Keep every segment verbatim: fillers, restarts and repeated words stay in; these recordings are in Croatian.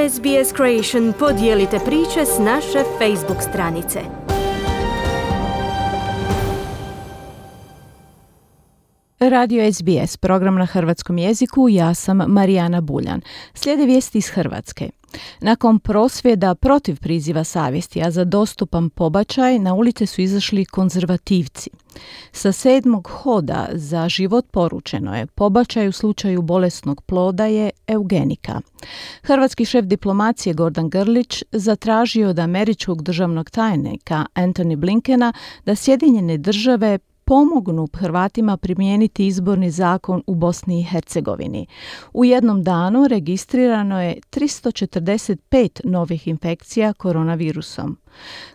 S B S Creation podijelite priče s naše Facebook stranice. Radio S B S, program na hrvatskom jeziku, ja sam Marijana Buljan. Slijede vijesti iz Hrvatske. Nakon prosvjeda protiv priziva savjesti, a za dostupan pobačaj, na ulice su izašli konzervativci. Sa sedmog hoda za život poručeno je: pobačaj u slučaju bolesnog ploda je eugenika. Hrvatski šef diplomacije Gordan Grlić zatražio od američkog državnog tajnika Antony Blinkena da Sjedinjene države pomognu Hrvatima primijeniti izborni zakon u Bosni i Hercegovini. U jednom danu registrirano je tristo četrdeset pet novih infekcija koronavirusom.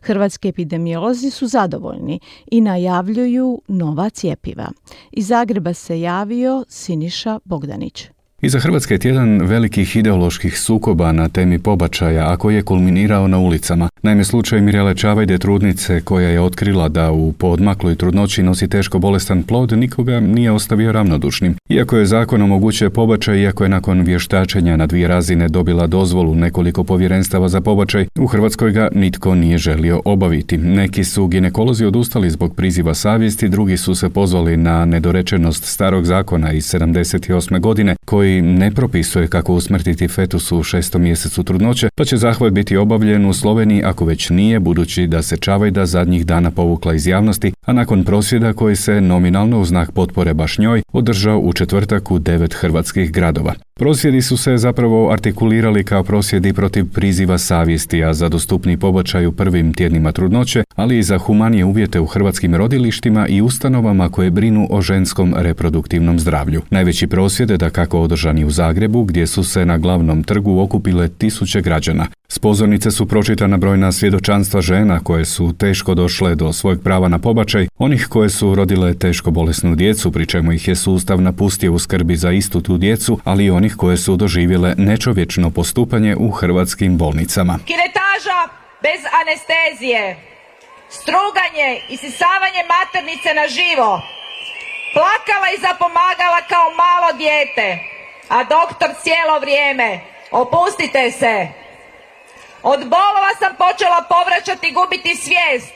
Hrvatski epidemiolozi su zadovoljni i najavljuju nova cjepiva. Iz Zagreba se javio Siniša Bogdanić. Iza Hrvatske je tjedan velikih ideoloških sukoba na temi pobačaja, a koji je kulminirao na ulicama. Naime, slučaj Mirele Čavajde, trudnice koja je otkrila da u poodmakloj trudnoći nosi teško bolestan plod, nikoga nije ostavio ravnodušnim. Iako je zakon omogućuje pobačaj, iako je nakon vještačenja na dvije razine dobila dozvolu nekoliko povjerenstava za pobačaj, u Hrvatskoj ga nitko nije želio obaviti. Neki su ginekolozi odustali zbog priziva savjesti, drugi su se pozvali na nedorečenost starog zakona iz sedamdeset osme godine, koji ne propisuje kako usmrtiti fetus u šestom mjesecu trudnoće, pa će zahvat biti obavljen u Sloveniji ako već nije, budući da se Čavajda zadnjih dana povukla iz javnosti, a nakon prosvjeda koji se nominalno u znak potpore baš njoj održao u četvrtak u devet hrvatskih gradova. Prosvjedi su se zapravo artikulirali kao prosvjedi protiv priziva savjesti, a za dostupni pobačaj u prvim tjednima trudnoće, ali i za humanije uvjete u hrvatskim rodilištima i ustanovama koje brinu o ženskom reproduktivnom zdravlju. Najveći prosvjed je dakako održani u Zagrebu, gdje su se na glavnom trgu okupile tisuće građana. S pozornice su pročitana brojna svjedočanstva žena koje su teško došle do svojeg prava na pobačaj, onih koje su rodile teško bolesnu djecu, pri čemu ih je sustav napustio u skrbi za istu tu djecu, ali i onih koje su doživjele nečovječno postupanje u hrvatskim bolnicama. Kiretaža bez anestezije, struganje i sisavanje maternice na živo, plakala i zapomagala kao malo dijete, a doktor cijelo vrijeme: opustite se. Od bolova sam počela povraćati i gubiti svijest.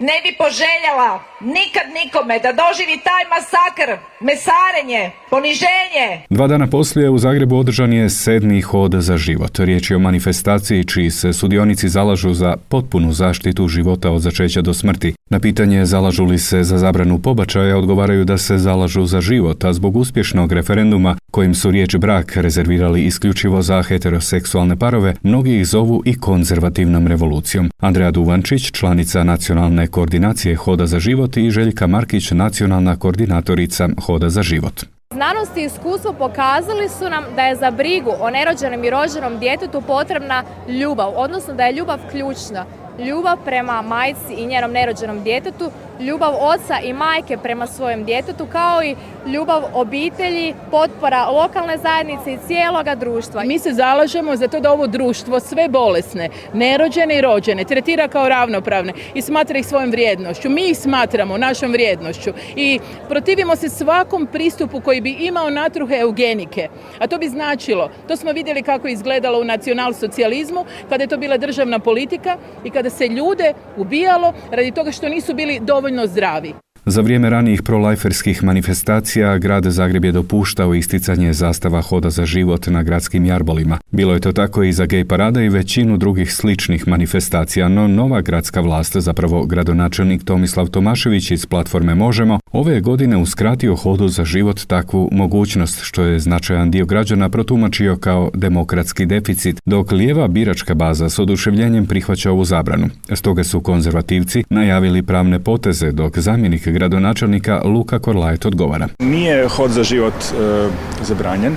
Ne bi poželjela nikad nikome da doživi taj masakr, mesarenje, poniženje. Dva dana poslije u Zagrebu održan je sedmi hod za život. Riječ je o manifestaciji čiji se sudionici zalažu za potpunu zaštitu života od začeća do smrti. Na pitanje zalažu li se za zabranu pobačaja odgovaraju da se zalažu za život, a zbog uspješnog referenduma kojim su riječ brak rezervirali isključivo za heteroseksualne parove, mnogi ih zovu i konzervativnom revolucijom. Andreja Duvančić, članica nacionalne koordinacije Hoda za život, i Željka Markić, nacionalna koordinatorica Hoda za život. Znanost i iskustvo pokazali su nam da je za brigu o nerođenom i rođenom djetetu potrebna ljubav, odnosno da je ljubav ključna. Ljubav prema majci i njenom nerođenom djetetu, ljubav oca i majke prema svojem djetetu, kao i ljubav obitelji, potpora lokalne zajednice i cijeloga društva. Mi se zalažemo za to da ovo društvo sve bolesne, nerođene i rođene tretira kao ravnopravne i smatra ih svojom vrijednošću. Mi ih smatramo našom vrijednošću i protivimo se svakom pristupu koji bi imao natruhe eugenike. A to bi značilo, to smo vidjeli kako je izgledalo u nacionalsocijalizmu, kada je to bila državna politika i kada se ljude ubijalo radi toga što nisu bili dovoljno zdravi. Za vrijeme ranijih prolajferskih manifestacija, grad Zagreb je dopuštao isticanje zastava Hoda za život na gradskim jarbolima. Bilo je to tako i za gej parada i većinu drugih sličnih manifestacija, no nova gradska vlast, zapravo gradonačelnik Tomislav Tomašević iz platforme Možemo, ove je godine uskratio Hodu za život takvu mogućnost, što je značajan dio građana protumačio kao demokratski deficit, dok lijeva biračka baza s oduševljenjem prihvaća ovu zabranu. Stoga su konzervativci najavili pravne poteze, dok zamjenik gradonačelnika Luka Korlajet odgovara. Nije Hod za život e, zabranjen, e,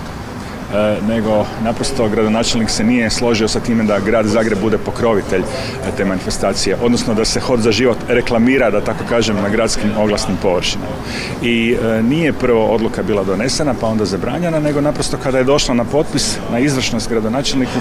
nego naprosto gradonačelnik se nije složio sa time da grad Zagreb bude pokrovitelj te manifestacije, odnosno da se Hod za život reklamira, da tako kažem, na gradskim oglasnim površinama. I e, nije prvo odluka bila donesena pa onda zabranjena, nego naprosto kada je došla na potpis, na izvršnost gradonačelniku,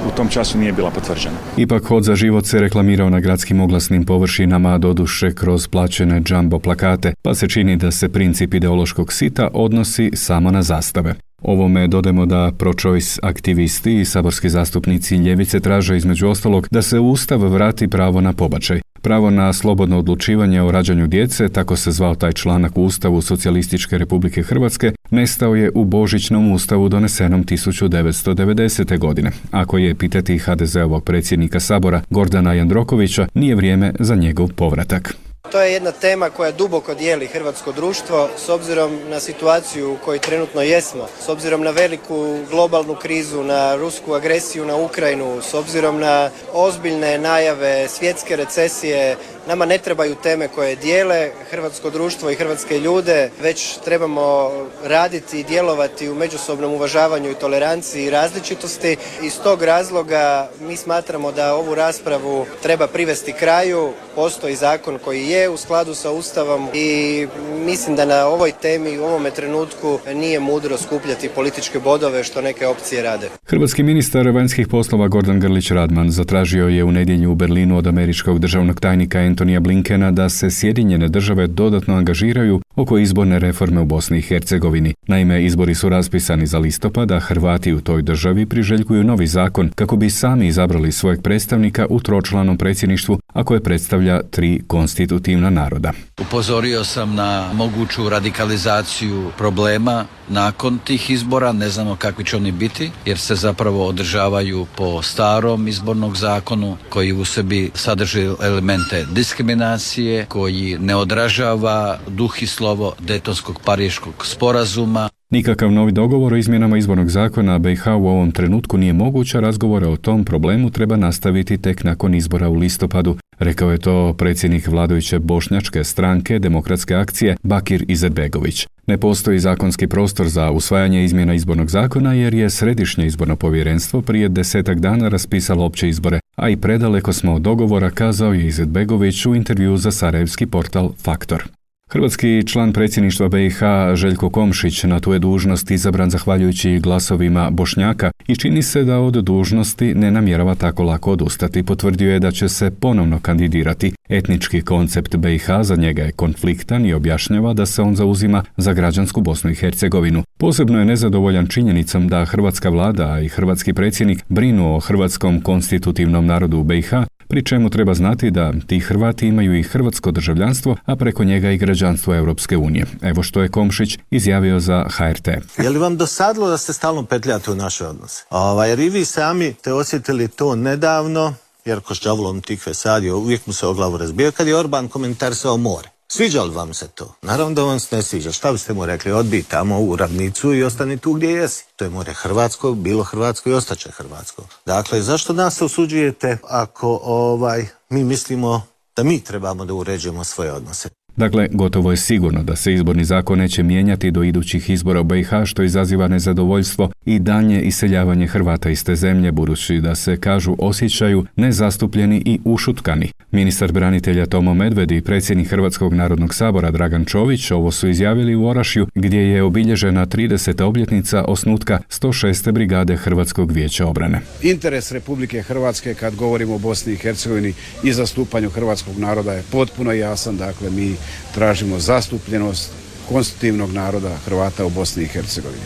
u tom času nije bila potvrđena. Ipak Hod za život se reklamirao na gradskim oglasnim površinama, doduše kroz plaćene džambo plakate, pa se čini da se princip ideološkog sita odnosi samo na zastave. Ovome dodajemo da pro-choice aktivisti i saborski zastupnici ljevice traže između ostalog da se u Ustav vrati pravo na pobačaj. Pravo na slobodno odlučivanje o rađanju djece, tako se zvao taj članak u Ustavu Socijalističke Republike Hrvatske, nestao je u Božićnom ustavu donesenom tisuću devetsto devedesete. godine. Ako je pitati ha de zeovog predsjednika Sabora Gordana Jandrokovića, nije vrijeme za njegov povratak. To je jedna tema koja duboko dijeli hrvatsko društvo s obzirom na situaciju u kojoj trenutno jesmo, s obzirom na veliku globalnu krizu, na rusku agresiju na Ukrajinu, s obzirom na ozbiljne najave svjetske recesije. Nama ne trebaju teme koje dijele hrvatsko društvo i hrvatske ljude, već trebamo raditi i djelovati u međusobnom uvažavanju i toleranciji i različitosti. Iz tog razloga mi smatramo da ovu raspravu treba privesti kraju. Postoji zakon koji je u skladu sa Ustavom i mislim da na ovoj temi u ovome trenutku nije mudro skupljati političke bodove što neke opcije rade. Hrvatski ministar vanjskih poslova Gordan Grlić Radman zatražio je u nedjelju u Berlinu od američkog državnog tajnika Antonija Blinkena da se Sjedinjene države dodatno angažiraju oko izborne reforme u Bosni i Hercegovini. Naime, izbori su raspisani za listopad, a Hrvati u toj državi priželjkuju novi zakon kako bi sami izabrali svojeg predstavnika u tročlanom predsjedništvu, a koje predstavlja tri konstitutivna naroda. Upozorio sam na moguću radikalizaciju problema nakon tih izbora, ne znamo kakvi će oni biti, jer se zapravo održavaju po starom izbornog zakonu koji u sebi sadrži elemente diskriminacije, koji ne odražava duh i slovo Dejtonskog pariškog sporazuma. Nikakav novi dogovor o izmjenama izbornog zakona be i ha u ovom trenutku nije moguć, a razgovore o tom problemu treba nastaviti tek nakon izbora u listopadu. Rekao je to predsjednik vladajuće bošnjačke stranke Demokratske akcije Bakir Izetbegović. Ne postoji zakonski prostor za usvajanje izmjena izbornog zakona jer je Središnje izborno povjerenstvo prije desetak dana raspisalo opće izbore, a i predaleko smo od dogovora, kazao je Izetbegović u intervjuu za sarajevski portal Faktor. Hrvatski član predsjedništva be i ha Željko Komšić na tu je dužnost izabran zahvaljujući glasovima Bošnjaka i čini se da od dužnosti ne namjerava tako lako odustati. Potvrdio je da će se ponovno kandidirati. Etnički koncept be i ha za njega je konfliktan i objašnjava da se on zauzima za građansku Bosnu i Hercegovinu. Posebno je nezadovoljan činjenicom da hrvatska vlada i hrvatski predsjednik brinu o hrvatskom konstitutivnom narodu u be i ha, pri čemu treba znati da ti Hrvati imaju i hrvatsko državljanstvo, a preko njega i građanstvo Europske unije. Evo što je Komšić izjavio za ha er te. Je li vam dosadilo da ste stalno petljate u naše odnose? Ova, jer i vi sami ste osjetili to nedavno, jer ko s đavolom tikve sadio, uvijek mu se o glavu razbio, kad je Orban komentarisao more. Sviđa li vam se to? Naravno da vam se ne sviđa. Šta biste mu rekli? Odbij tamo u ravnicu i ostani tu gdje jesi. To je more hrvatsko, bilo hrvatsko i ostaće hrvatsko. Dakle, zašto nas osuđujete ako ovaj, mi mislimo da mi trebamo da uređujemo svoje odnose? Dakle, gotovo je sigurno da se izborni zakon neće mijenjati do idućih izbora u be i ha, što izaziva nezadovoljstvo i daljnje iseljavanje Hrvata iz te zemlje, budući da se, kažu, osjećaju nezastupljeni i ušutkani. Ministar branitelja Tomo Medved i predsjednik Hrvatskog narodnog sabora Dragan Čović ovo su izjavili u Orašju, gdje je obilježena trideseta obljetnica osnutka sto šeste brigade Hrvatskog vijeća obrane. Interes Republike Hrvatske kad govorimo o Bosni i Hercegovini i zastupanju hrvatskog naroda je potpuno jasan, dakle mi tražimo zastupljenost konstitutivnog naroda Hrvata u Bosni i Hercegovini.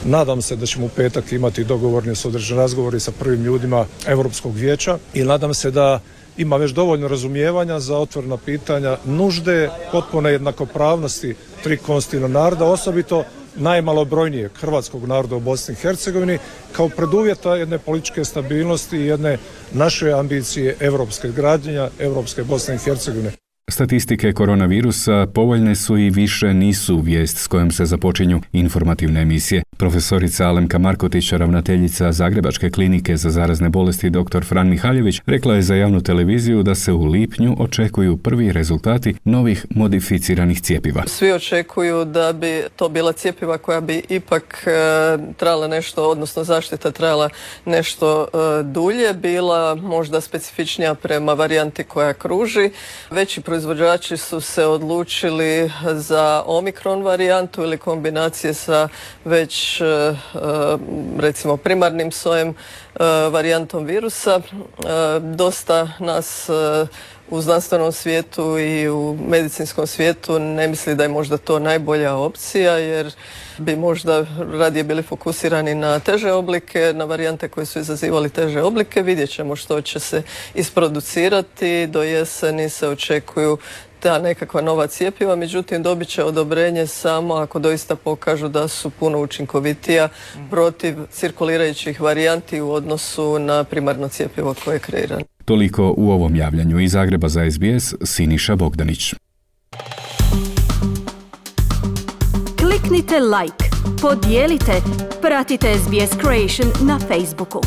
Nadam se da ćemo u petak imati dogovorni održani razgovori sa prvim ljudima Europskog vijeća i nadam se da ima već dovoljno razumijevanja za otvorena pitanja nužde potpune jednakopravnosti tri konstitutivna naroda, osobito najmalobrojnijeg hrvatskog naroda u Bosni i Hercegovini, kao preduvjeta jedne političke stabilnosti i jedne naše ambicije europske gradnja, europske Bosne i Hercegovine. Statistike koronavirusa povoljne su i više nisu vijest s kojom se započinju informativne emisije. Profesorica Alemka Markotić, ravnateljica Zagrebačke klinike za zarazne bolesti dr. Fran Mihaljević, rekla je za javnu televiziju da se u lipnju očekuju prvi rezultati novih modificiranih cjepiva. Svi očekuju da bi to bila cjepiva koja bi ipak e, trajala nešto, odnosno zaštita trajala nešto e, dulje, bila možda specifičnija prema varijanti koja kruži. Veći proizvođači su se odlučili za omikron varijantu ili kombinacije sa već recimo primarnim sojem varijantom virusa. Dosta nas u znanstvenom svijetu i u medicinskom svijetu ne misli da je možda to najbolja opcija, jer bi možda radije bili fokusirani na teže oblike, na varijante koje su izazivali teže oblike. Vidjet ćemo što će se isproducirati. Do jeseni se očekuju ta nekakva nova cjepiva, međutim dobit će odobrenje samo ako doista pokažu da su puno učinkovitija protiv cirkulirajućih varijanti u odnosu na primarno cjepivo koje je kreirano. Toliko u ovom javljanju. Iz Zagreba za S B S, Siniša Bogdanić. Kliknite like, podijelite, pratite S B S Creation na Facebooku.